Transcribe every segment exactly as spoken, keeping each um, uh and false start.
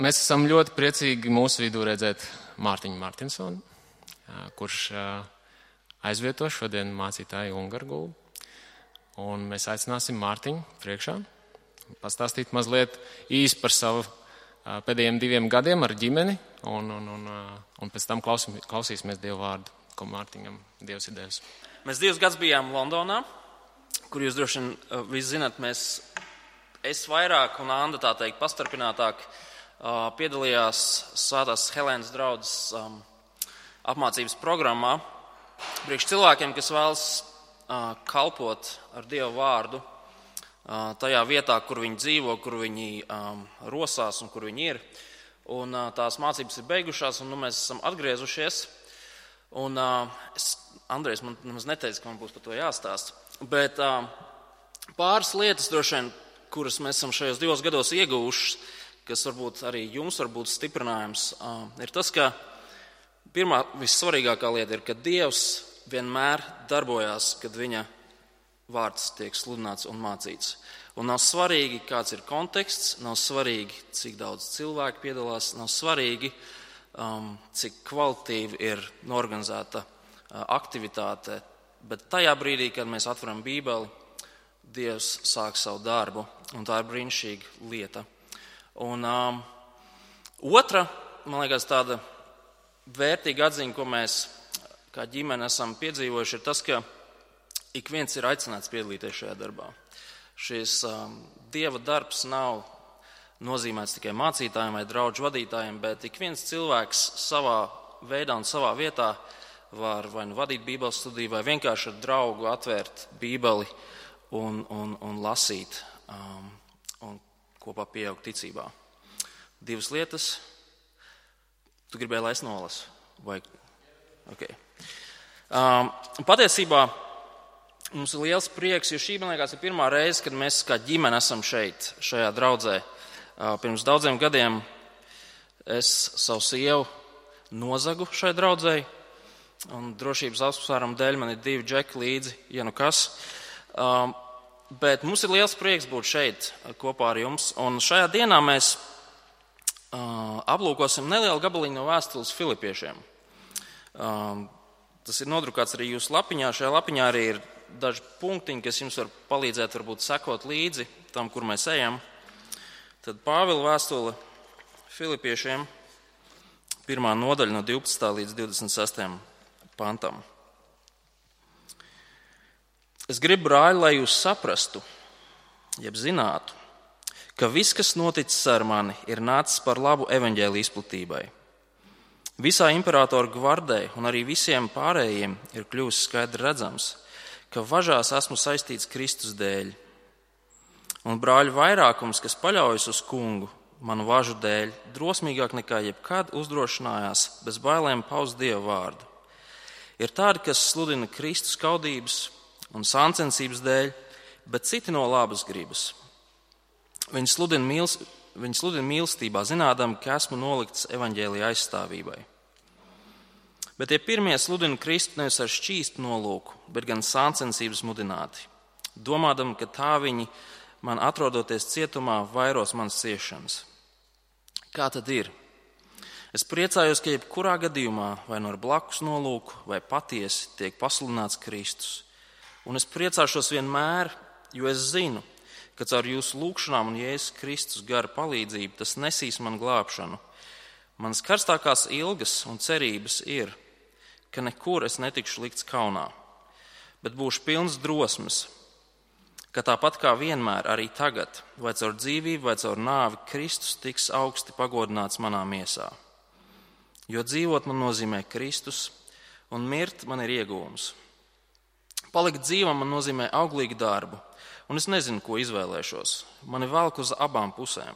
Mēs esam ļoti priecīgi mūsu vidū redzēt Mārtiņu Martinsonu, kurš aizvieto šodien mācītāju Ungargulu. Un mēs aicināsim Mārtiņu priekšā pastāstīt mazliet īsi par savu pēdējiem diviem gadiem ar ģimeni, un, un, un, un pēc tam klausim, klausīsimies Dievu vārdu, ko Mārtiņam Dievs ir devis. Mēs divus gadus bijām Londonā, kur jūs droši vien visi zināt, mēs, es vairāk un Anda tā teikt pastarpinātāk piedalījās Svētās Helēnas draudzes um, apmācības programmā priekš cilvēkiem, kas vēlas uh, kalpot ar Dievu vārdu uh, tajā vietā, kur viņi dzīvo, kur viņi um, rosās un kur viņi ir. Un uh, tās mācības ir beigušās, un nu, mēs esam atgriezušies. Un uh, es, Andrejs man nemaz neteica, ka man būs par to jāstāst. Bet uh, pāris lietas droši vien, kuras mēs esam šajos divos gados ieguvušas, kas varbūt arī jums var būt stiprinājums, ir tas, ka pirmā vissvarīgākā lieta ir, ka Dievs vienmēr darbojās, kad viņa vārds tiek sludināts un mācīts. Un nav svarīgi, kāds ir konteksts, nav svarīgi, cik daudz cilvēku piedalās, nav svarīgi, um, cik kvalitīvi ir norganizēta uh, aktivitāte, bet tajā brīdī, kad mēs atveram Bībeli, Dievs sāk savu darbu, un tā ir brīnišķīga lieta. Un um, otra, man liekas, tāda vērtīga atziņa, ko mēs kā ģimene esam piedzīvojuši, ir tas, ka ik viens ir aicināts piedalīties šajā darbā. Šis um, Dieva darbs nav nozīmēts tikai mācītājiem vai draudžu vadītājiem, bet ik viens cilvēks savā veidā un savā vietā var vai nu vadīt Bībeles studiju, vai vienkārši ar draugu atvērt Bībeli un, un, un lasīt. Um, un kopā pieaugt ticībā. Divas lietas. Tu gribēji, lai es nolasu? Vai? Okay. Um, patiesībā mums ir liels prieks, jo šī, man liekas, ir pirmā reize, kad mēs kā ģimene esam šeit, šajā draudzē. Uh, pirms daudziem gadiem es savu sievu nozagu šai draudzē, un drošības apsvērumu dēļ man ir divi džeki līdzi, ja nu kas. Um, Bet mums ir liels prieks būt šeit kopā ar jums, un šajā dienā mēs uh, aplūkosim nelielu gabaliņu no vēstules Filipiešiem. Uh, tas ir nodrukāts arī jūsu lapiņā. Šajā lapiņā arī ir daži punktiņi, kas jums var palīdzēt varbūt sekot līdzi tam, kur mēs ejam. Tad Pāvila vēstule Filipiešiem, pirmā nodaļa no divpadsmitā līdz divdesmit sestajam pantam. Es gribu, brāļi, lai jūs saprastu, jeb zinātu, ka viss, kas noticis ar mani, ir nācis par labu evaņģēlija izplatībai. Visā imperatora gvardē un arī visiem pārējiem ir kļuvis skaidri redzams, ka važās esmu saistīts Kristus dēļ. Un brāļu vairākums, kas paļaujas uz kungu, manu važu dēļ, drosmīgāk nekā jebkad uzdrošinājās bez bailēm paust Dieva vārdu. Ir tādi, kas sludina Kristus kaudības un sāncensības dēļ, bet citi no labas gribas. Viņi sludina, mīls, viņi sludina mīlestībā, zinādam, ka esmu nolikts evaņģēlija aizstāvībai. Bet tie pirmie sludina Kristu nevis ar šķīstu nolūku, bet gan sāncensības mudināti, domādam, ka tā viņi man atrodoties cietumā vairos manas ciešanas. Kā tad ir? Es priecājos, ka jebkurā gadījumā vai no ar blakus nolūku vai patiesi tiek pasludināts Kristus. Un es priecāšos vienmēr, jo es zinu, ka caur jūsu lūgšanām un Jēzus Kristus gara palīdzību tas nesīs man glābšanu. Manas karstākās ilgas un cerības ir, ka nekur es netikšu likts kaunā, bet būšu pilns drosmes, ka tāpat kā vienmēr arī tagad, vai caur dzīvību, vai caur nāvi, Kristus tiks augsti pagodināts manā miesā. Jo dzīvot man nozīmē Kristus, un mirt man ir iegūms. Palikt dzīvam man nozīmē auglīgu darbu, un es nezinu, ko izvēlēšos. Mani velk uz abām pusēm.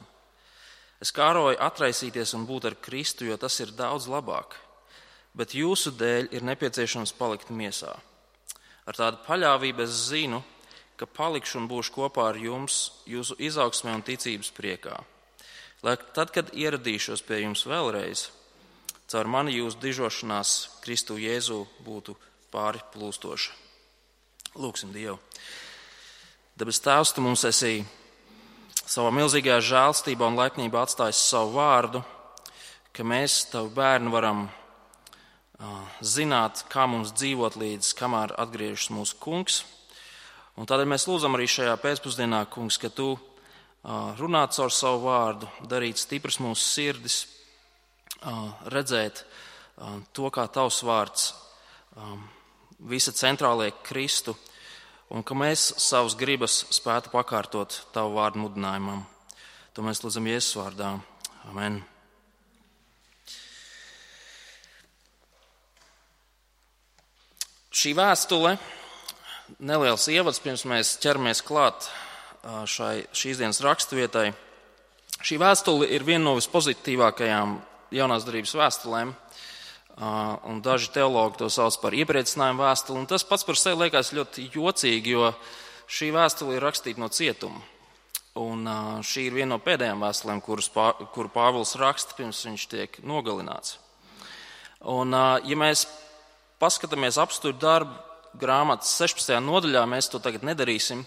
Es kāroju atraisīties un būt ar Kristu, jo tas ir daudz labāk, bet jūsu dēļ ir nepieciešams palikt miesā. Ar tādu paļāvību es zinu, ka palikšu un būšu kopā ar jums jūsu izaugsmē un ticības priekā. Lai tad, kad ieradīšos pie jums vēlreiz, caur mani jūsu dižošanās Kristu Jēzu būtu pāri plūstoša. Lūksim Dievu. Debes Tēvs, tu mums esi savā milzīgajā žēlstībā un laipnībā atstājis savu vārdu, ka mēs, tavi bērni, varam uh, zināt, kā mums dzīvot līdz, kamēr atgriežas mūsu kungs. Un tādēļ mēs lūdzam arī šajā pēcpusdienā, kungs, ka tu uh, runā caur savu vārdu, darīt stipras mūsu sirdis, uh, redzēt uh, to, kā tavs vārds um, visa centrālie Kristu, un ka mēs savus gribas spētu pakārtot tavu vārdu mudinājumam. To mēs lūdzam Jēzus vārdā. Amen. Šī vēstule, neliels ievads, pirms mēs ķeramies klāt šai, šīs dienas raksturvietai. Šī vēstule ir viena no vispozitīvākajām jaunās darības vēstulēm, un daži teologi to sauc par iepriecinājumu vēstuli. Un tas pats par sevi liekas ļoti jocīgi, jo šī vēstule ir rakstīta no cietuma. Un šī ir viena no pēdējām vēstulēm, kuras, kuru Pāvils raksta, pirms viņš tiek nogalināts. Un, ja mēs paskatāmies apstākļu darbu grāmatas sešpadsmitajā nodaļā, mēs to tagad nedarīsim,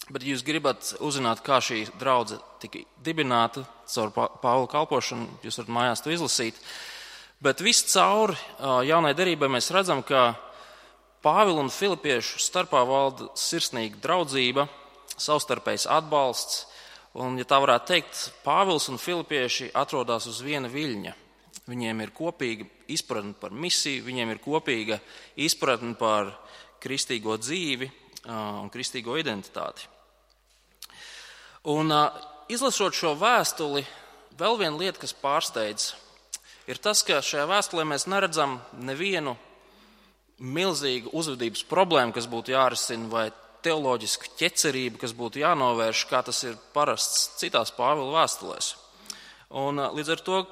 bet jūs gribat uzzināt, kā šī draudze tika dibināta caur Pāvila kalpošanu, jūs varat mājās to izlasīt. Bet viss cauri jaunai derībai mēs redzam, ka Pāvila un filipiešu starpā valda sirsnīga draudzība, savstarpējs atbalsts, un, ja tā varētu teikt, Pāvils un filipieši atrodas uz viena viļņa. Viņiem ir kopīga izpratne par misiju, viņiem ir kopīga izpratne par kristīgo dzīvi un kristīgo identitāti. Un izlasot šo vēstuli, vēl viena lieta, kas pārsteidz, ir tas, ka šajā vēstulē mēs neredzam nevienu milzīgu uzvedības problēmu, kas būtu jārisina, vai teoloģisku ķecerību, kas būtu jānovērš, kā tas ir parasts citās Pāvila vēstulēs. Un līdz ar to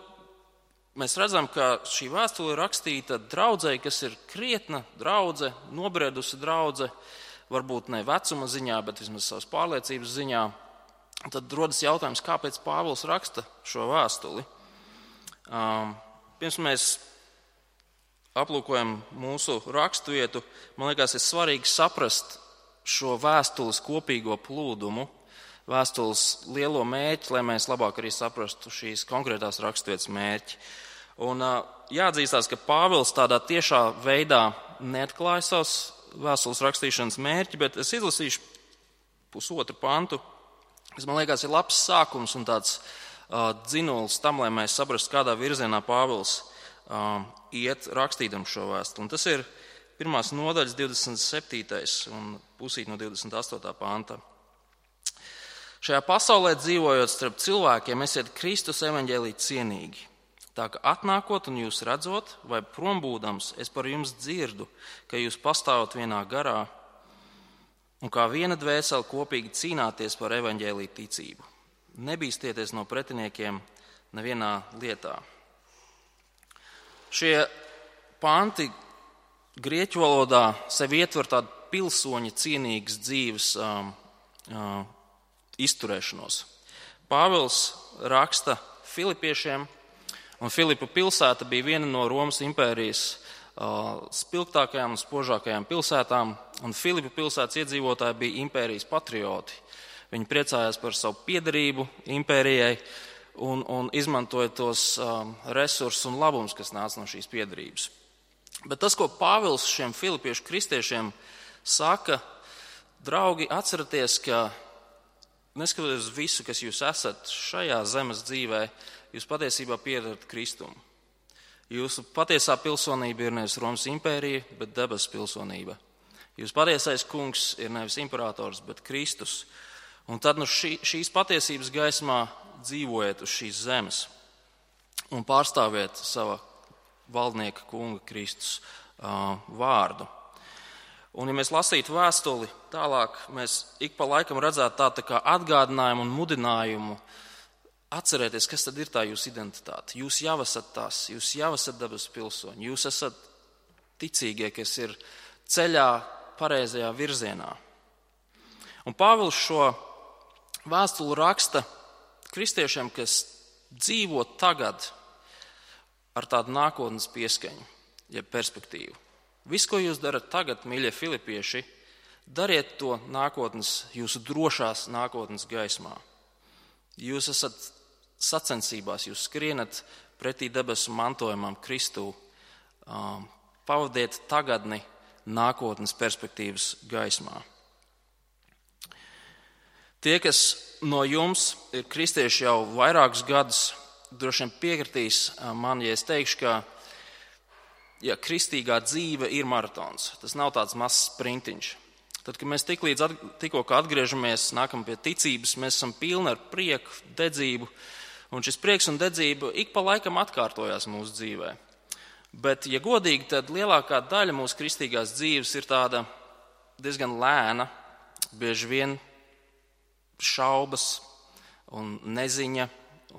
mēs redzam, ka šī vēstule ir rakstīta draudzei, kas ir krietna draudze, nobredusi draudze, varbūt ne vecuma ziņā, bet vismaz savas pārliecības ziņā. Tad rodas jautājums, kāpēc Pāvils raksta šo vēstuli. Um, pirms mēs aplūkojam mūsu raksturvietu, man liekas, ir svarīgi saprast šo vēstules kopīgo plūdumu, vēstules lielo mērķi, lai mēs labāk arī saprastu šīs konkrētās raksturvietas mērķi. Un uh, jāatzīstās, ka Pāvils tādā tiešā veidā neatklāja savas vēstules rakstīšanas mērķi, bet es izlasīšu pusotru pantu, kas man liekas ir labs sākums un tāds uh, dzinulis tam, lai mēs saprastu, kādā virzienā Pāvils uh, iet rakstīdam šo vēstuli. Un tas ir pirmās nodaļas divdesmit septītais un pusīt no divdesmit astotā panta. Šajā pasaulē dzīvojot starp cilvēkiem, esiet Kristus evaņģēlī cienīgi. Tā ka atnākot un jūs redzot, vai prombūdams, es par jums dzirdu, ka jūs pastāvat vienā garā un kā viena dvēsele kopīgi cīnāties par evaņģēlī ticību. Nebīstieties no pretiniekiem nevienā lietā. Šie panti grieķu valodā sevi ietver tādu pilsoņa cienīgas dzīves um, um, izturēšanos. Pāvils raksta filipiešiem, un Filipu pilsēta bija viena no Romas impērijas uh, spilgtākajām un spožākajām pilsētām, un Filipu pilsētas iedzīvotāji bija impērijas patrioti. Viņi priecājās par savu piederību impērijai un, un izmantoja tos um, resursus un labumus, kas nāca no šīs piederības. Bet tas, ko Pāvils šiem filipiešu kristiešiem saka, draugi, atceraties, ka neskatoties uz visu, kas jūs esat šajā zemes dzīvē, jūs patiesībā piedarat Kristumu. Jūsu patiesā pilsonība ir nevis Romas impērija, bet debesu pilsonība. Jūsu patiesais kungs ir nevis imperators, bet Kristus. Un tad no šī, šīs patiesības gaismā dzīvojiet uz šīs zemes un pārstāviet sava valdnieka kunga Kristus uh, vārdu. Un, ja mēs lasītu vēstuli tālāk, mēs ik pa laikam redzētu tā, tā kā atgādinājumu un mudinājumu atcerēties, kas tad ir tā jūsu identitāte. Jūs jau esat tas, jūs jau esat dabas pilsoņi, jūs esat ticīgie, kas ir ceļā pareizajā virzienā. Un Pāvils šo vēstuli raksta kristiešiem, kas dzīvo tagad ar tādu nākotnes pieskaņu, jeb perspektīvu. Viss, ko jūs darat tagad, mīļie filipieši, dariet to nākotnes, jūsu drošās nākotnes gaismā. Jūs esat sacensībās, jūs skrienat pretī debesu mantojumam Kristū. Um, pavadiet tagadni nākotnes perspektīvas gaismā. Tie, kas no jums ir kristieši jau vairākus gadus, droši vien piekritīs man, ja es teikšu, ka ja kristīgā dzīve ir maratons. Tas nav tāds mazs sprintiņš. Tad, kad mēs tik līdz tikko atgriežamies, nākam pie ticības, mēs esam pilni ar prieku, dedzību, un šis prieks un dedzība ik pa laikam atkārtojās mūsu dzīvē. Bet, ja godīgi, tad lielākā daļa mūsu kristīgās dzīves ir tāda diezgan lēna, bieži vien šaubas un neziņa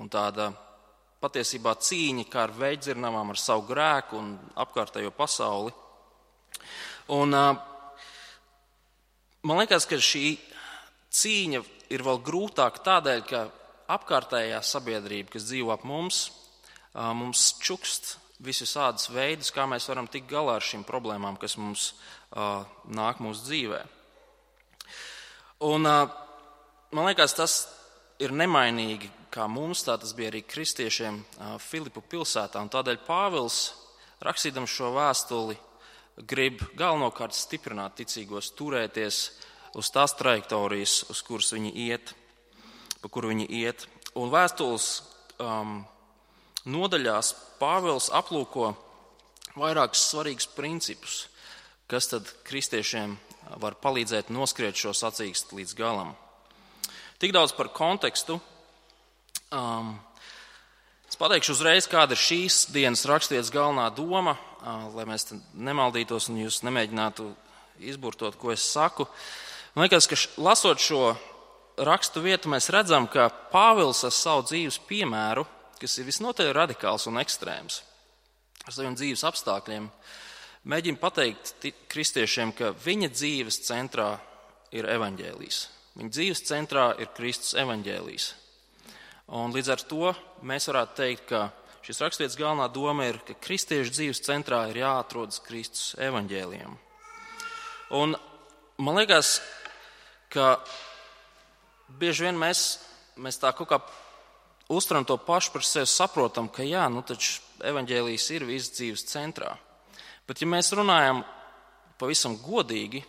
un tāda patiesībā cīņa kā ar veidzirnavām, ar savu grēku un apkārtējo pasauli. Un man liekas, ka šī cīņa ir vēl grūtāka tādēļ, ka apkārtējā sabiedrība, kas dzīvo ap mums, mums čukst visus ādus veidus, kā mēs varam tikt galā ar šīm problēmām, kas mums uh, nāk mūsu dzīvē. Un uh, man liekas, tas ir nemainīgi, kā mums, tā tas bija arī kristiešiem uh, Filipu pilsētā. Un tādēļ Pāvils, rakstīdams šo vēstuli, grib galvenokārt stiprināt ticīgos, turēties uz tās trajektorijas, uz kuras viņi iet, pa kuru viņi iet. Un vēstules um, nodaļās Pāvils aplūko vairākus svarīgus principus, kas tad kristiešiem var palīdzēt noskriet šo sacīkstu līdz galam. Tik daudz par kontekstu. Um, es pateikšu uzreiz, kāda ir šīs dienas rakstvietas galvenā doma, uh, lai mēs nemaldītos un jūs nemēģinātu izburtot, ko es saku. Man liekas, ka š, lasot šo rakstu vietu, mēs redzam, ka Pāvils ar savu dzīves piemēru, kas ir visnotaļ radikāls un ekstrēms, ar saviem dzīves apstākļiem, mēģina pateikt kristiešiem, ka viņa dzīves centrā ir evaņģēlijs. Viņa dzīves centrā ir Kristus evaņģēlijs. Un līdz ar to mēs varētu teikt, ka šis rakstvietas galvenā doma ir, ka kristiešu dzīves centrā ir jāatrodas Kristus evaņģēlijam. Un man liekas, ka bieži vien mēs, mēs tā kaut kā uztveram to pašu par sevi, saprotam, ka jā, nu taču evaņģēlijs ir visas dzīves centrā. Bet ja mēs runājam pavisam godīgi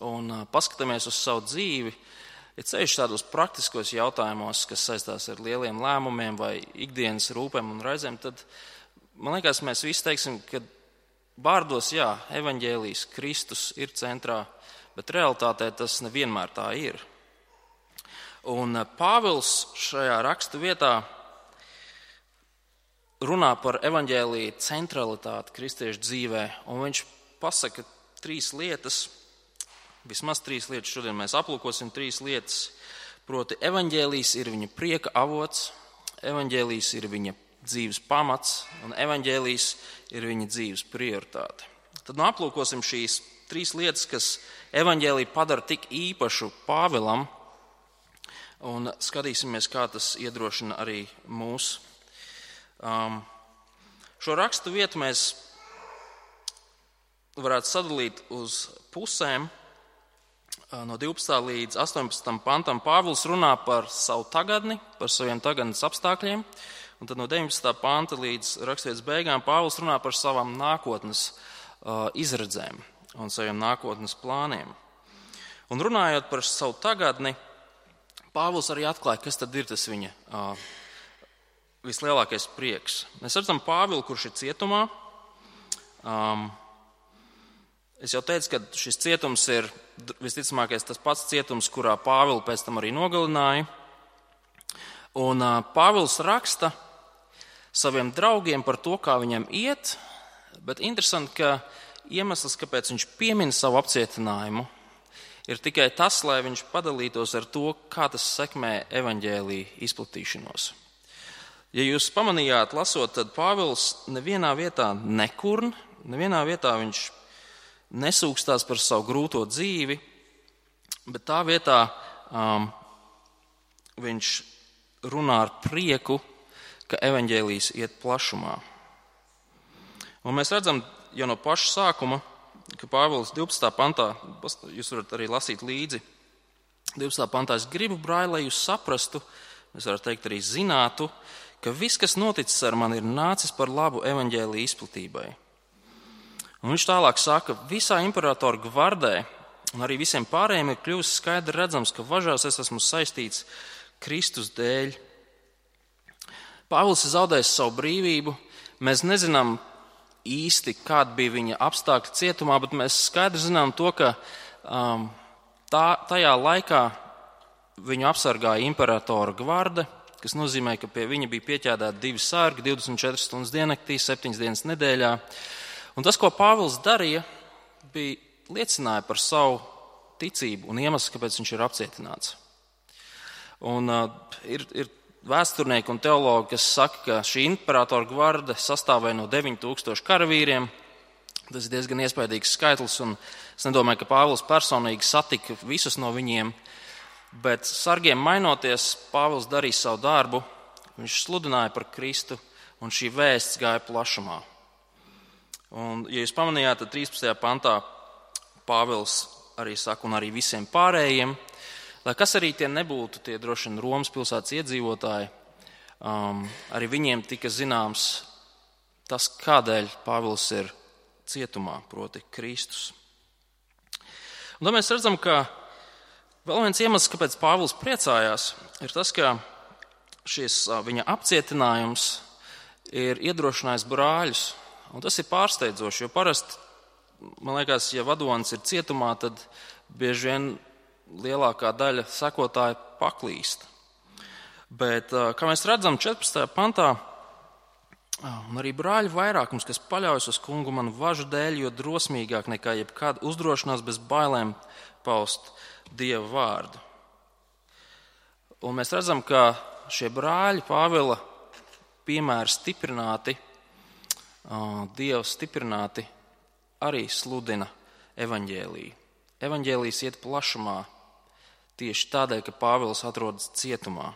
un paskatāmies uz savu dzīvi, ja ceļš tādos praktiskos jautājumos, kas saistās ar lieliem lēmumiem vai ikdienas rūpēm un raizēm, tad man liekas, mēs visi teiksim, ka vārdos jā, evaņģēlijs, Kristus ir centrā, bet realitātē tas nevienmēr tā ir. Un Pāvils šajā rakstu vietā runā par evaņģēlija centralitāti kristiešu dzīvē, un viņš pasaka trīs lietas, vismaz trīs lietas, šodien mēs aplūkosim trīs lietas, proti evaņģēlijs ir viņa prieka avots, evaņģēlijs ir viņa dzīves pamats, un evaņģēlijs ir viņa dzīves prioritāte. Tad nu aplūkosim šīs trīs lietas, kas evaņģēliju padara tik īpašu Pāvilam, un skatīsimies, kā tas iedrošina arī mūs. Um, šo rakstu vietu mēs varētu sadalīt uz pusēm. Uh, no divpadsmitā līdz astoņpadsmitam pantam Pāvils runā par savu tagadni, par saviem tagadnes apstākļiem, un tad no deviņpadsmitā panta līdz rakstvietas beigām Pāvils runā par savām nākotnes uh, izredzēm un saviem nākotnes plāniem. Un runājot par savu tagadni, Pāvils arī atklāja, kas tad ir tas viņa uh, vislielākais prieks. Mēs redzam Pāvilu, kurš ir cietumā. Um, es jau teicu, ka šis cietums ir visticamākais tas pats cietums, kurā Pāvilu pēc tam arī nogalināja. Un uh, Pāvils raksta saviem draugiem par to, kā viņam iet, bet interesanti, ka iemesls, kāpēc viņš piemin savu apcietinājumu, ir tikai tas, lai viņš padalītos ar to, kā tas sekmē evaņģēlija izplatīšanos. Ja jūs pamanījāt, lasot, tad Pāvils nevienā vietā nekurn, nevienā vietā viņš nesūkstās par savu grūto dzīvi, bet tā vietā um, viņš runā ar prieku, ka evaņģēlijs iet plašumā. Un mēs redzam jau no paša sākuma, ka Pāvils divpadsmitā pantā, jūs varat arī lasīt līdzi, divpadsmitā pantā, es gribu, brāļi, lai jūs saprastu, mēs varam teikt arī zinātu, ka viss, kas noticis ar mani, ir nācis par labu evaņģēlija izplatībai. Un viņš tālāk saka, visā imperatora gvardē un arī visiem pārējiem ir kļuvis skaidri redzams, ka važās es esmu saistīts Kristus dēļ. Pāvils ir zaudējis savu brīvību. Mēs nezinām īsti, kāda bija viņa apstākļi cietumā, bet mēs skaidri zinām to, ka um, tā, tajā laikā viņu apsargāja imperatora gvarde, kas nozīmē, ka pie viņa bija pieķēdēti divi sargi, divdesmit četras stundas diennaktī, septiņas dienas nedēļā. Un tas, ko Pāvils darīja, bija liecināja par savu ticību un iemeslu, kāpēc viņš ir apcietināts. Un uh, ir, ir vēsturnieki un teologi, kas saka, ka šī imperatora gvarde sastāvēja no deviņi tūkstoši karavīriem. Tas ir diezgan iespaidīgs skaitlis, un es nedomāju, ka Pāvils personīgi satika visus no viņiem, bet sargiem mainoties, Pāvils darīja savu darbu, viņš sludināja par Kristu, un šī vēsts gāja plašumā. Un, ja jūs pamanījāt, tad trīspadsmitajā pantā Pāvils arī saka, un arī visiem pārējiem, lai kas arī tie nebūtu, tie droši vien Romas pilsētas iedzīvotāji, um, arī viņiem tika zināms tas, kādēļ Pāvils ir cietumā, proti Kristus. Un tad mēs redzam, ka vēl viens iemesls, kāpēc Pāvils priecājās, ir tas, ka šis viņa apcietinājums ir iedrošinājis brāļus. Un tas ir pārsteidzoši, jo parasti, man liekas, ja vadonis ir cietumā, tad bieži vien lielākā daļa sekotāji paklīst. Bet, kā mēs redzam, četrpadsmitajā pantā, un arī brāļu vairākums, kas paļaujas uz kungu manu važu dēļ, jo drosmīgāk nekā jebkāda uzdrošinās bez bailēm paust Dieva vārdu. Un mēs redzam, ka šie brāļi Pāvila piemēri stiprināti, Dieva stiprināti arī sludina evaņģēliju. Evaņģēlijs iet plašumā tieši tādēļ, ka Pāvils atrodas cietumā.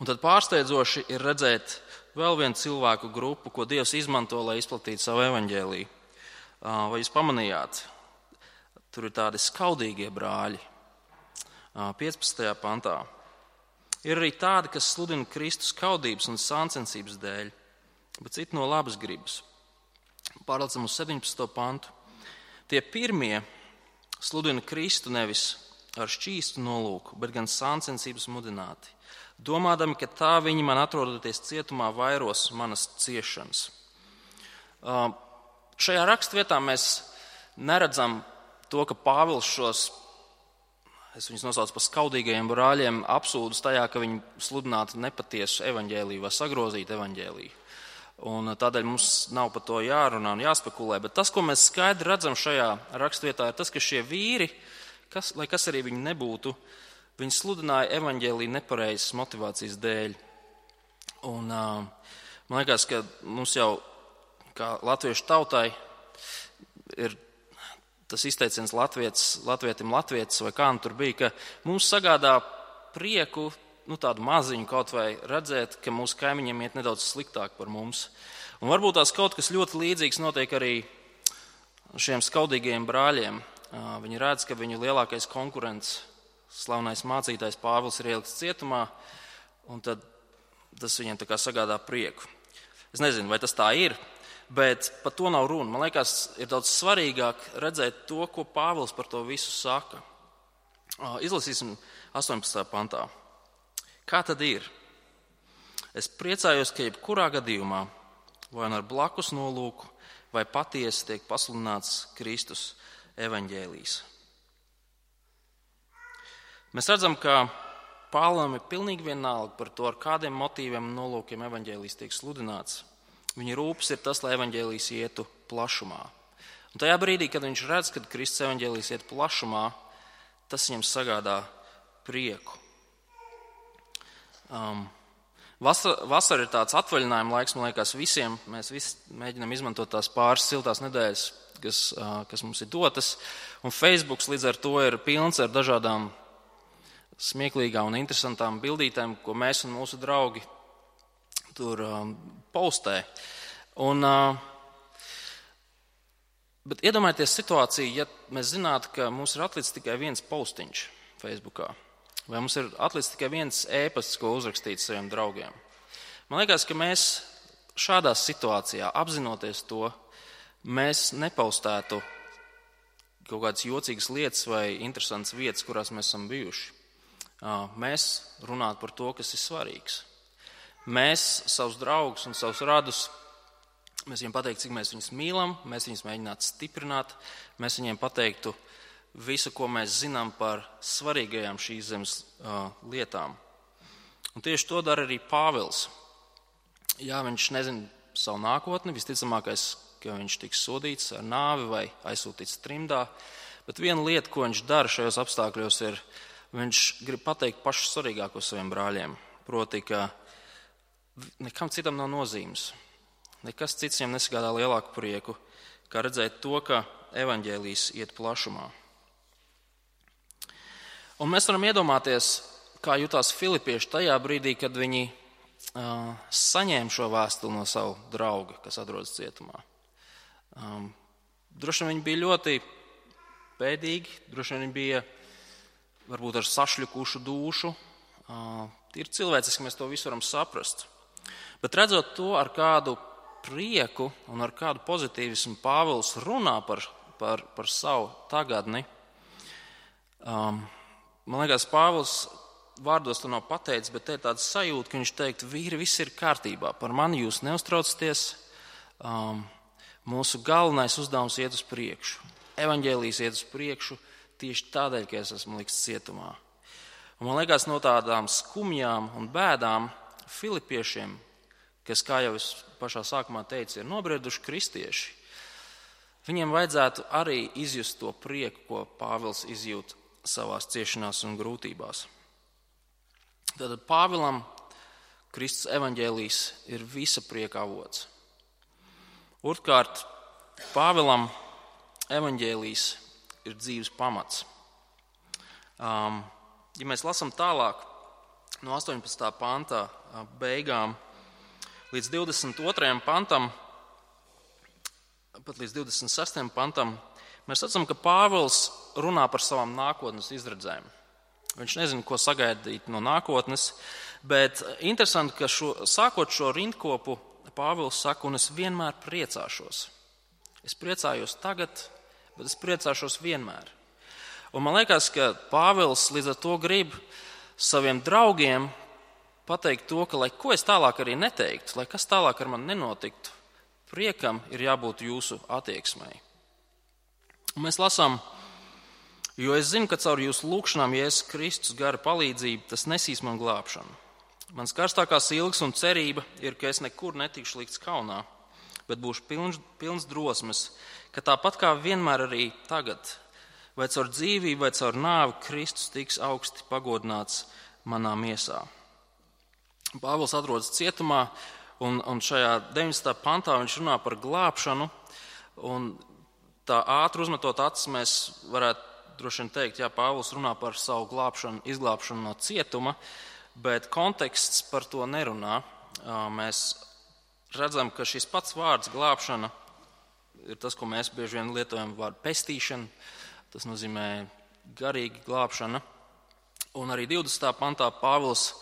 Un tad pārsteidzoši ir redzēt vēl vienu cilvēku grupu, ko Dievs izmanto, lai izplatītu savu evaņģēliju. Vai jūs pamanījāt? Tur ir tādi skaudīgie brāļi. piecpadsmitajā pantā. Ir arī tādi, kas sludina Kristus skaudības un sāncensības dēļ, bet citi no labas gribas. Pārlecam uz septiņpadsmito pantu. Tie pirmie sludina Kristu nevis ar šķīstu nolūku, bet gan sāncensības mudināti, domādami, ka tā viņi man atrodoties cietumā vairos manas ciešanas. Šajā rakstvietā mēs neredzam to, ka Pāvils šos, es viņus nosaucu par skaudīgajiem brāļiem, apsūdus tajā, ka viņi sludinātu nepatiesu evaņģēliju vai sagrozītu evaņģēliju. Un tādēļ mums nav par to jārunā un jāspekulē, bet tas, ko mēs skaidri redzam šajā rakstvietā, ir tas, ka šie vīri, kas, lai kas arī viņi nebūtu, viņi sludināja evaņģēliju nepareizas motivācijas dēļ. Un man liekas, ka mums jau, kā latviešu tautai, ir tas izteiciens latvietis, latvietim latvietis, vai kā nu tur bija, ka mums sagādā prieku, nu tādu maziņu kaut vai redzēt, ka mūsu kaimiņiem iet nedaudz sliktāk par mums. Un varbūt tās kaut kas ļoti līdzīgs notiek arī šiem skaudīgajiem brāļiem. Viņi redz, ka viņu lielākais konkurents, slavenais mācītājs Pāvils, ir ielikts cietumā, un tad tas viņiem tā kā sagādā prieku. Es nezinu, vai tas tā ir, bet par to nav runa. Man liekas, ir daudz svarīgāk redzēt to, ko Pāvils par to visu saka. Izlasīsim astoņpadsmitajā pantā. Kā tad ir? Es priecājos, ka jebkurā gadījumā, vai ar blakus nolūku, vai patiesi tiek pasludināts Kristus evaņģēlijs. Mēs redzam, ka Pāvilam ir pilnīgi vienalga par to, ar kādiem motīviem un nolūkiem evaņģēlijs tiek sludināts. Viņa rūpes ir tas, lai evaņģēlijs ietu plašumā. Un tajā brīdī, kad viņš redz, ka Kristus evaņģēlijs iet plašumā, tas viņam sagādā prieku. Um, vasara, vasara ir tāds atvaļinājuma laiks, man liekas, visiem. Mēs visi mēģinām izmantot tās pāris siltās nedēļas, kas, uh, kas mums ir dotas. Un Facebooks līdz ar to ir pilns ar dažādām smieklīgām un interesantām bildītēm, ko mēs un mūsu draugi tur um, postē. Un, uh, bet iedomājieties situāciju, ja mēs zinātu, ka mums ir atlicis tikai viens postiņš Facebookā. Vai mums ir atlicis tikai viens ēpasts, ko uzrakstīt saviem draugiem? Man liekas, ka mēs šādā situācijā, apzinoties to, mēs nepaustētu kaut kādas jocīgas lietas vai interesantas vietas, kurās mēs esam bijuši. Mēs runātu par to, kas ir svarīgs. Mēs savus draugus un savus radus, mēs viņiem pateiktu, cik mēs viņus mīlam, mēs viņus mēģinātu stiprināt, mēs viņiem pateiktu visu, ko mēs zinām par svarīgajām šīs zemes uh, lietām. Un tieši to dara arī Pāvils. Jā, viņš nezina savu nākotni, visticamākais, ka viņš tiks sodīts ar nāvi vai aizsūtīts trimdā, bet viena lieta, ko viņš dara šajos apstākļos, ir, viņš grib pateikt pašu svarīgāko saviem brāļiem, proti, ka nekam citam nav nozīmes. Nekas cits viņam nesagādā lielāku prieku, kā redzēt to, ka evaņģēlijs iet plašumā. Un mēs varam iedomāties, kā jutās filipieši tajā brīdī, kad viņi uh, saņēma šo vēstuli no savu drauga, kas atrodas cietumā. Um, droši vien viņi bija ļoti bēdīgi, droši vien viņi bija varbūt ar sašļukušu dušu. Uh, ir cilvēciski, mēs to visu varam saprast. Bet redzot to, ar kādu prieku un ar kādu pozitīvismu Pāvils runā par, par, par savu tagadni, um, man liekas, Pāvils vārdos to nav pateicis, bet te ir tāds sajūta, ka viņš teikt, vīri, viss ir kārtībā, par mani jūs neuztraucaties, um, mūsu galvenais uzdevums iet uz priekšu. Evaņģēlijs iet uz priekšu tieši tādēļ, ka es esmu likts cietumā. Un man liekas, no tādām skumjām un bēdām filipiešiem, kas, kā jau es pašā sākumā teicu, ir nobrieduši kristieši, viņiem vajadzētu arī izjust to prieku, ko Pāvils izjūt savās ciešanās un grūtībās. Tātad Pāvilam Kristus evaņģēlijs ir visa prieka avots. Otrkārt, Pāvilam evaņģēlijs ir dzīves pamats. Um, ja mēs lasām tālāk no astoņpadsmitā pantā beigām līdz divdesmit otrajam pantam, pat līdz divdesmit sestajam pantam, mēs redzam, ka Pāvils runā par savām nākotnes izredzēm. Viņš nezina, ko sagaidīt no nākotnes, bet interesanti, ka šo, sākot šo rindkopu, Pāvils saka, un es vienmēr priecāšos. Es priecājos tagad, bet es priecāšos vienmēr. Un man liekas, ka Pāvils līdz ar to grib saviem draugiem pateikt to, ka, lai ko es tālāk arī neteiktu, lai kas tālāk ar mani nenotiktu, priekam ir jābūt jūsu attieksmei. Un mēs lasām, jo es zinu, ka caur jūsu lūgšanām Jēzus Kristus gara palīdzību tas nesīs man glābšanu. Mans karstākās ilgas un cerība ir, ka es nekur netikšu likts kaunā, bet būšu pilns, pilns drosmes, ka tāpat kā vienmēr arī tagad, vai caur dzīvību, vai caur nāvi, Kristus tiks augsti pagodināts manā miesā. Pāvils atrodas cietumā, un, un šajā deviņdesmitā pantā viņš runā par glābšanu, un tā ātri uzmetot acis mēs varētu droši vien teikt, jā, Pāvils runā par savu glābšanu, izglābšanu no cietuma, bet konteksts par to nerunā. Mēs redzam, ka šis pats vārds glābšana ir tas, ko mēs bieži vien lietojam vārdu pestīšana, tas nozīmē garīga glābšana. Un arī divdesmitā pantā Pāvils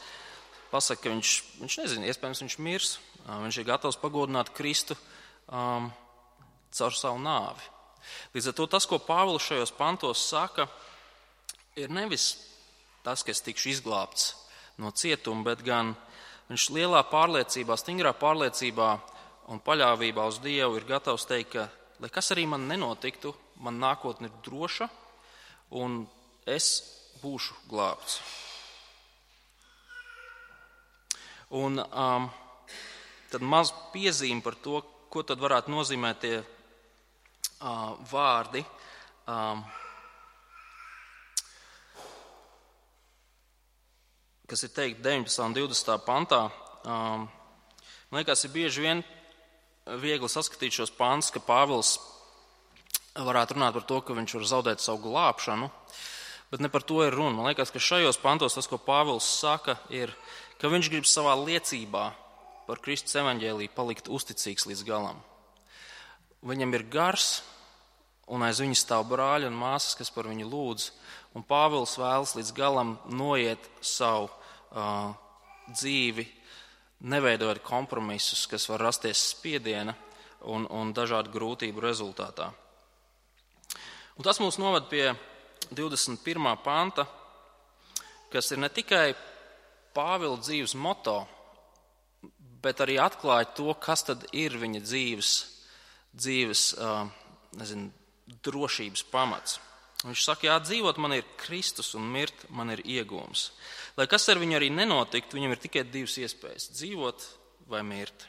pasaka, ka viņš, viņš nezina, iespējams viņš mirs, viņš ir gatavs pagodināt Kristu um, caur savu nāvi. Līdz ar to tas, ko Pāvils šajos pantos saka, ir nevis tas, ka es tikšu izglābts no cietuma, bet gan viņš lielā pārliecībā, stingrā pārliecībā un paļāvībā uz Dievu ir gatavs teikt, ka, lai kas arī man nenotiktu, man nākotne ir droša un es būšu glābts. Un um, tad maz piezīme par to, ko tad varētu nozīmēt tie uh, vārdi. Um, kas ir teikt deviņpadsmitā un divdesmitā pantā. Um, man liekas, ir bieži vien viegli saskatīt šos pantus, ka Pāvils varētu runāt par to, ka viņš var zaudēt savu glābšanu, bet ne par to ir runa. Man liekas, ka šajos pantos tas, ko Pāvils saka, ir, ka viņš grib savā liecībā par Kristus evaņģēliju palikt uzticīgs līdz galam. Viņam ir gars un aiz viņa stāv brāļi un māsas, kas par viņu lūdz. Un Pāvils vēlas līdz galam noiet savu uh, dzīvi, neveidojot kompromisus, kas var rasties spiediena un, un dažādu grūtību rezultātā. Un tas mūs noved pie divdesmit pirmā panta, kas ir ne tikai Pāvila dzīves moto, bet arī atklāja to, kas tad ir viņa dzīves, dzīves uh, nezinu, drošības pamats. Viņš saka, jā, dzīvot man ir Kristus un mirt man ir iegūms. Lai kas ar viņu arī nenotiktu, viņam ir tikai divas iespējas – dzīvot vai mirt.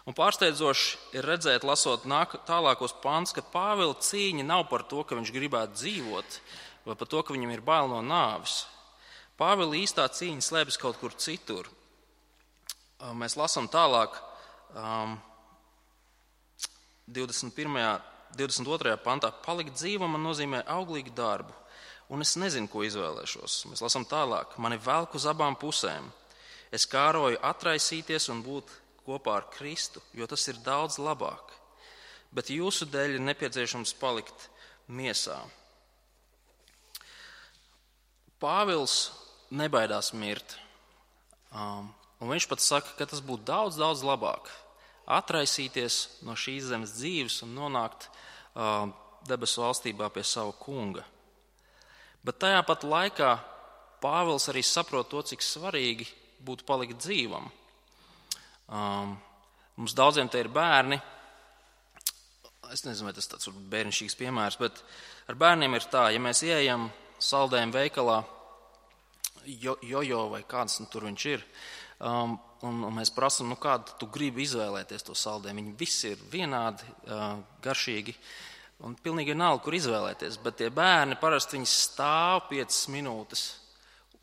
Un pārsteidzoši ir redzēt, lasot nāk, tālākos pants, ka Pāvila cīņa nav par to, ka viņš gribētu dzīvot, vai par to, ka viņam ir bail no nāves. Pāvila īstā cīņa slēpjas kaut kur citur. Mēs lasām tālāk um, divdesmit pirmajā, divdesmit otrajā pantā. Palikt dzīvam man nozīmē auglīgu darbu, un es nezinu, ko izvēlēšos. Mēs lasām tālāk. Mani velk uz abām pusēm. Es kāroju atraisīties un būt kopā ar Kristu, jo tas ir daudz labāk. Bet jūsu dēļ ir nepieciešams palikt miesā. Pāvils nebaidās mirt. Um, un viņš pat saka, ka tas būtu daudz, daudz labāk. Atraisīties no šīs zemes dzīves un nonākt uh, debesu valstībā pie sava kunga. Bet tajā pat laikā Pāvils arī saprot to, cik svarīgi būtu palikt dzīvam. Um, mums daudziem te ir bērni. Es nezinu, vai tas tāds bērnišķīgs piemērs, bet ar bērniem ir tā, ja mēs ieejam saldējumu veikalā, jo, jojo vai kāds nu, tur viņš ir, um, un, un mēs prasam, nu kādu tu gribi izvēlēties to saldējumu. Viņi visi ir vienādi, uh, garšīgi, un pilnīgi vienalga, kur izvēlēties. Bet tie bērni parasti viņi stāv piecas minūtes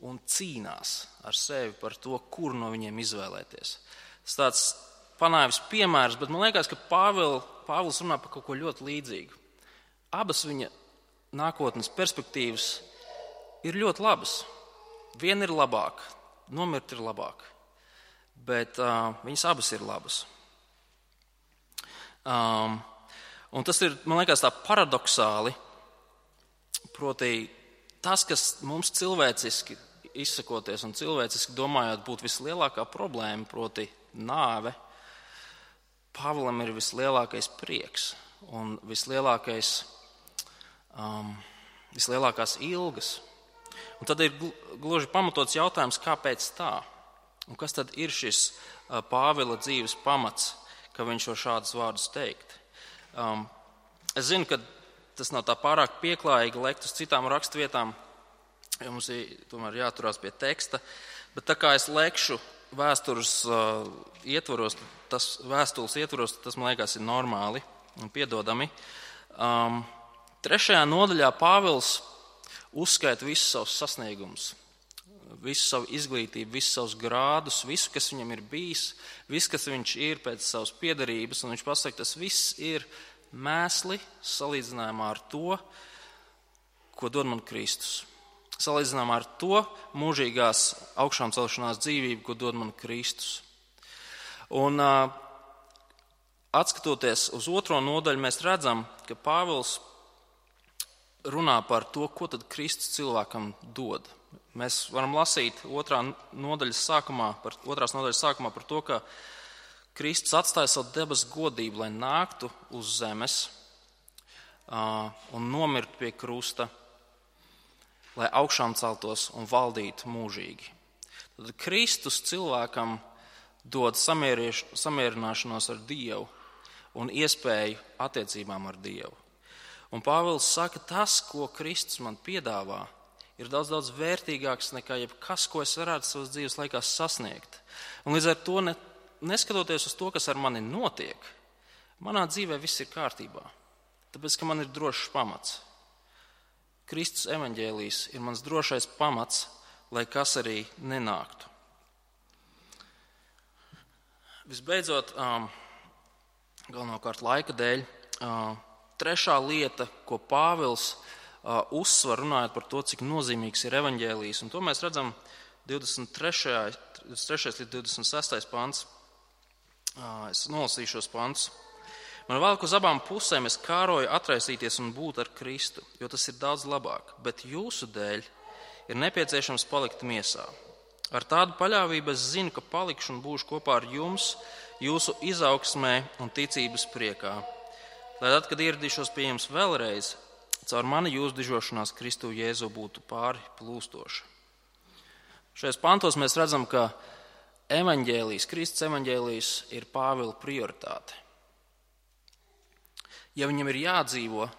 un cīnās ar sevi par to, kur no viņiem izvēlēties. Tas tāds panāvis piemērs, bet man liekas, ka Pāvil, Pāvils runā par kaut ko ļoti līdzīgu. Abas viņa nākotnes perspektīvas ir ļoti labas. Viena ir labāka, nomirt ir labāk, bet uh, viņas abas ir labas. Um, un tas ir, man liekas, tā paradoksāli, proti tas, kas mums cilvēciski izsakoties un cilvēciski domājot būtu vislielākā problēma, proti nāve, Pāvilam ir vislielākais prieks un vislielākais, um, vislielākās ilgas. Un tad ir gluži pamatots jautājums, kāpēc tā? Un kas tad ir šis uh, Pāvila dzīves pamats, ka viņš var šādus vārdus teikt? Um, es zinu, ka tas nav tā pārāk pieklājīgi lekt uz citām rakstvietām, jo mums ir tomēr jāturās pie teksta, bet tā kā es lekšu vēstures uh, ietvaros, tas vēstules ietvaros, tas, man liekas, ir normāli un piedodami. Um, trešajā nodaļā Pāvils uzskaita visus savus sasniegumus, visu savu izglītību, visus savus grādus, visu, kas viņam ir bijis, visu, kas viņš ir pēc savas piederības, un viņš pasaka, tas viss ir mēsli salīdzinājumā ar to, ko dod man Kristus. Salīdzinājumā ar to mūžīgās augšām celšanās dzīvību, ko dod man Kristus. Un uh, atskatoties uz otro nodaļu, mēs redzam, ka Pāvils runā par to, ko tad Kristus cilvēkam dod. Mēs varam lasīt otrā nodaļas sākumā, par, otrās nodaļas sākumā par to, ka Kristus atstāja savu debesu godību, lai nāktu uz zemes uh, un nomirtu pie krusta, lai augšām celtos un valdītu mūžīgi. Tad Kristus cilvēkam dod samierināšanos ar Dievu un iespēju attiecībām ar Dievu. Un Pāvils saka, tas, ko Kristus man piedāvā, ir daudz, daudz vērtīgāks nekā jebkas, ko es varētu savas dzīves laikā sasniegt. Un līdz ar to, ne, neskatoties uz to, kas ar mani notiek, manā dzīvē viss ir kārtībā, tāpēc, ka man ir drošs pamats. Kristus evaņģēlijs ir mans drošais pamats, lai kas arī nenāktu. Visbeidzot, um, galvenokārt laika dēļ, uh, trešā lieta, ko Pāvils uh, uzsver runājot par to, cik nozīmīgs ir evaņģēlijs, un to mēs redzam divdesmit trešais līdz divdesmit sestais pants. Uh, es nolasīšu šos pantus. Man velk uz abām pusēm, es kāroju atraisīties un būt ar Kristu, jo tas ir daudz labāk, bet jūsu dēļ ir nepieciešams palikt miesā. Ar tādu paļāvību es zinu, ka palikšu un būšu kopā ar jums, jūsu izaugsmē un ticības priekā. Lai tad, kad ieradīšos pie jums vēlreiz, caur mani jūsu dižošanās Kristu Jēzu būtu pāri plūstoša. Šajos pantos mēs redzam, ka evaņģēlijs, Kristus evaņģēlijs ir Pāvila prioritāte. Ja viņam ir jādzīvo,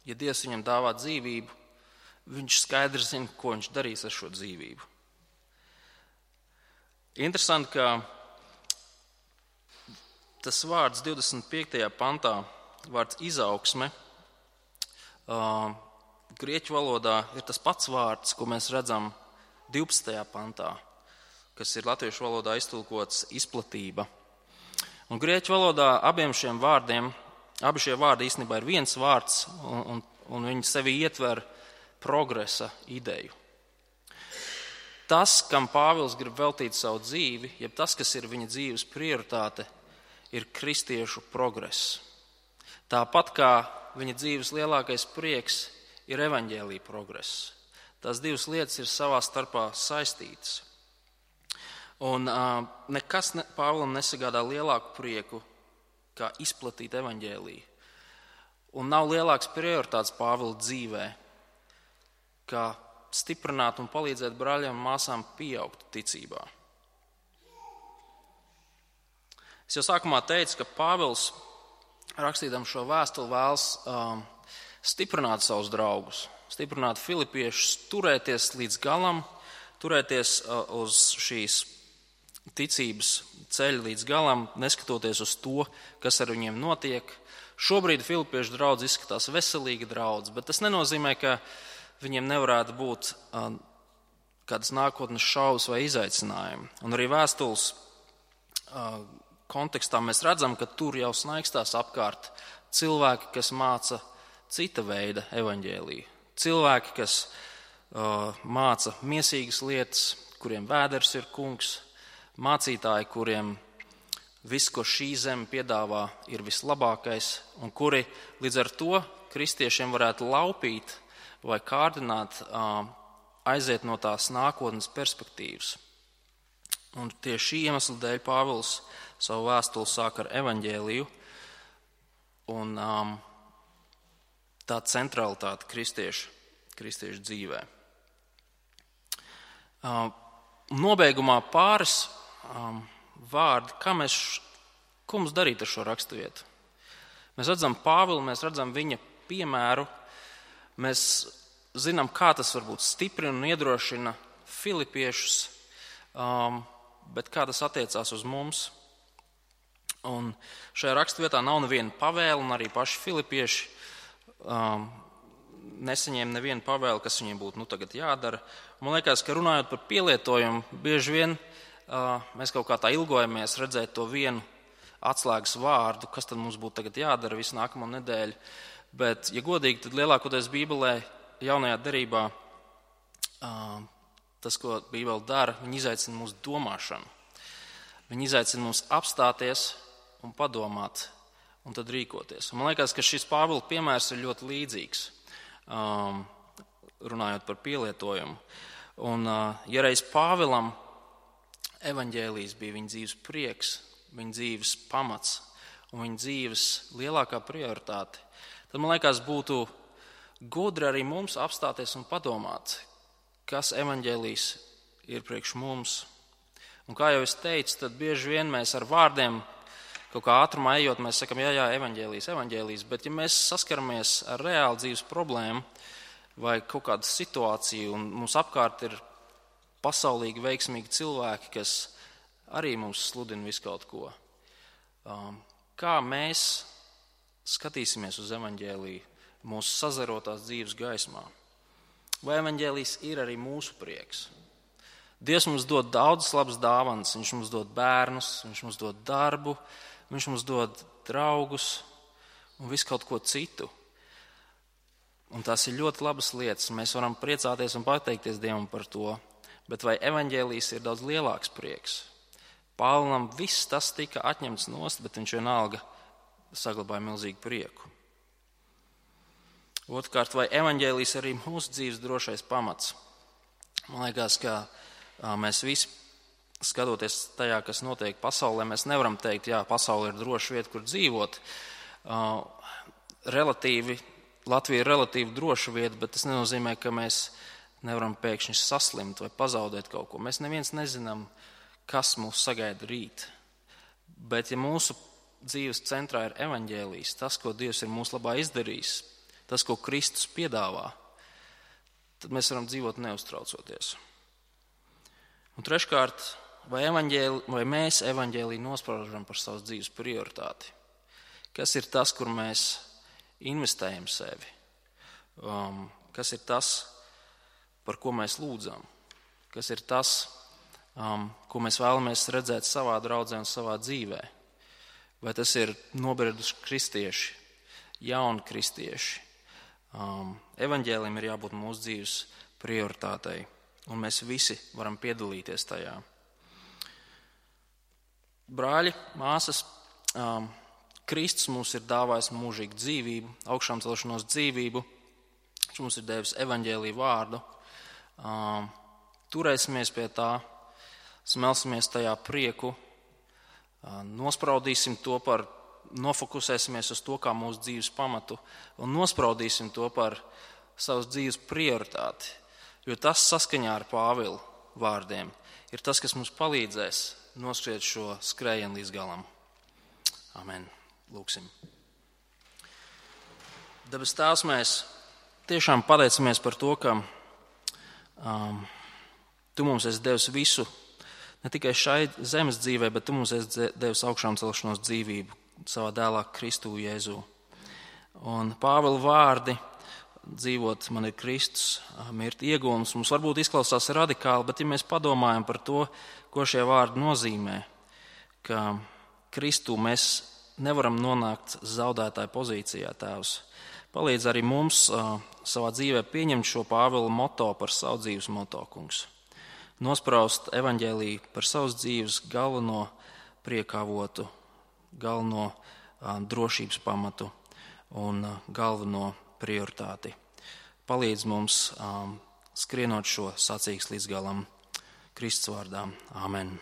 ja Dievs viņam dāvā dzīvību, viņš skaidri zina, ko viņš darīs ar šo dzīvību. Interesanti, ka tas vārds divdesmit piektajā pantā, vārds izaugsme, uh, grieķu valodā ir tas pats vārds, ko mēs redzam divpadsmitajā pantā, kas ir latviešu valodā iztulkots izplatība. Un grieķu valodā abiem šiem vārdiem, abi šie vārdi īstenībā ir viens vārds, un, un, un viņi sevi ietver progresa ideju. Tas, kam Pāvils grib veltīt savu dzīvi, jeb tas, kas ir viņa dzīves prioritāte, ir kristiešu progress. Tāpat kā viņa dzīves lielākais prieks ir evaņģēlija progress. Tās divas lietas ir savā starpā saistītas. Un uh, nekas ne, Pāvilam nesagādā lielāku prieku, kā izplatīt evaņģēliju. Un nav lielāks prioritāts Pāvila dzīvē, kā stiprināt un palīdzēt brāļiem un māsām pieaugt ticībā. Es jau sākumā teicu, ka Pāvils, rakstīdam šo vēstuli, vēlas um, stiprināt savus draugus, stiprināt filipiešus, turēties līdz galam, turēties uh, uz šīs ticības ceļa līdz galam, neskatoties uz to, kas ar viņiem notiek. Šobrīd filipiešu draudz izskatās veselīga draudz, bet tas nenozīmē, ka viņiem nevarētu būt uh, kādas nākotnes šaubas vai izaicinājumi. Un arī vēstules uh, kontekstā mēs redzam, ka tur jau snaigstās apkārt cilvēki, kas māca cita veida evaņģēliju. Cilvēki, kas uh, māca miesīgas lietas, kuriem vēders ir kungs, mācītāji, kuriem viss, ko šī zeme piedāvā, ir vislabākais, un kuri līdz ar to kristiešiem varētu laupīt vai kārdināt, aiziet no tās nākotnes perspektīvas. Un tieši šī iemesla dēļ Pāvils savu vēstuli sāk ar evaņģēliju un um, tā centralitāte kristiešu, kristiešu dzīvē. Um, nobeigumā pāris um, vārdi, kā mēs, ko mums darīt ar šo raksturvietu. Mēs redzam Pāvilu, mēs redzam viņa piemēru, mēs zinām, kā tas varbūt stiprina un iedrošina filipiešus, um, bet kā tas attiecās uz mums. Un šajā raksturvietā nav neviena pavēle, un arī paši filipieši um, nesaņēma nevienu pavēli, kas viņiem būtu nu, tagad jādara. Man liekas, ka runājot par pielietojumu, bieži vien uh, mēs kaut kā tā ilgojamies redzēt to vienu atslēgas vārdu, kas tad mums būtu tagad jādara visu nākamo nedēļu. Bet, ja godīgi, tad lielākoties Bībelē, jaunajā derībā, uh, tas, ko Bībele dara, viņi izaicina mūsu domāšanu. Viņi izaicina mums apstāties un padomāt, un tad rīkoties. Un man liekas, ka šis Pāvila piemērs ir ļoti līdzīgs, um, runājot par pielietojumu. Un, uh, ja reiz Pāvilam evaņģēlijs bija viņa dzīves prieks, viņa dzīves pamats un viņa dzīves lielākā prioritāte, tad man liekas, būtu gudri arī mums apstāties un padomāt, kas evaņģēlijs ir priekš mums. Un kā jau es teicu, tad bieži vien mēs ar vārdiem, kaut kā ātrumā ejot, mēs sakam, jā, jā, evaņģēlijs, evaņģēlijs, bet ja mēs saskaramies ar reālu dzīves problēmu vai kaut kādu situāciju, un mums apkārt ir pasaulīgi veiksmīgi cilvēki, kas arī mums sludina visu kaut ko, um, kā mēs skatīsimies uz evaņģēliju mūsu sazarotās dzīves gaismā? Vai evaņģēlijs ir arī mūsu prieks? Dievs mums dod daudzas labas dāvanas, viņš mums dod bērnus, viņš mums dod darbu, viņš mums dod draugus un visu kaut ko citu. Un tās ir ļoti labas lietas, mēs varam priecāties un pateikties Dievam par to, bet vai evaņģēlijs ir daudz lielāks prieks? Pāvilam viss tas tika atņemts nost, bet viņš vienalga saglabāja milzīgu prieku. Otrkārt, vai evaņģēlijs arī mūsu dzīves drošais pamats? Man liekas, ka mēs visi, skatoties tajā, kas notiek pasaulē, mēs nevaram teikt, jā, pasaule ir droša vieta, kur dzīvot. Relatīvi, Latvija ir relatīvi droša vieta, bet tas nenozīmē, ka mēs nevaram pēkšņi saslimt vai pazaudēt kaut ko. Mēs neviens nezinām, kas mūs sagaida rīt. Bet ja mūsu dzīves centrā ir evaņģēlijs, tas, ko Dievs ir mūsu labā izdarījis, tas, ko Kristus piedāvā, tad mēs varam dzīvot neuztraucoties. Un treškārt, vai, vai mēs evaņģēliju nospraužam par savas dzīves prioritāti? Kas ir tas, kur mēs investējam sevi? Um, kas ir tas, par ko mēs lūdzam? Kas ir tas, um, ko mēs vēlamies redzēt savā draudzē un savā dzīvē? Vai tas ir nobrieduši kristieši, jauni kristieši? Um, evaņģēlijam ir jābūt mūsu dzīves prioritātei, un mēs visi varam piedalīties tajā. Brāļi, māsas, um, Kristus mums ir dāvājis mūžīgu dzīvību, augšām celšanos dzīvību, viņš mums ir devis evaņģēliju vārdu. Um, turēsimies pie tā, smelsimies tajā prieku, um, nospraudīsim to par, nofokusēsimies uz to kā mūsu dzīves pamatu un nospraudīsim to par savas dzīves prioritāti, jo tas saskaņā ar Pāvila vārdiem ir tas, kas mums palīdzēs noskriet šo skrējienu līdz galam. Amen. Lūksim. Debes Tēvs, mēs tiešām pateicamies par to, ka um, Tu mums esi devis visu, ne tikai šai zemes dzīvē, bet Tu mums esi devis augšām celšanos dzīvību savā dēlā Kristu Jēzu. Un Pāvila vārdi dzīvot man ir Kristus, mirt iegūms, mums varbūt izklausās radikāli, bet ja mēs padomājam par to, ko šie vārdi nozīmē, ka Kristu mēs nevaram nonākt zaudētāju pozīcijā, Tēvs. Palīdz arī mums uh, savā dzīvē pieņemt šo Pāvila moto par savu dzīves moto, kungs. Nospraust evaņģēliju par savas dzīves galveno priekavotu, galveno uh, drošības pamatu un uh, galveno prioritāti. Palīdz mums um, skrienot šo sacīks līdz galam Kristus vārdā. Amen.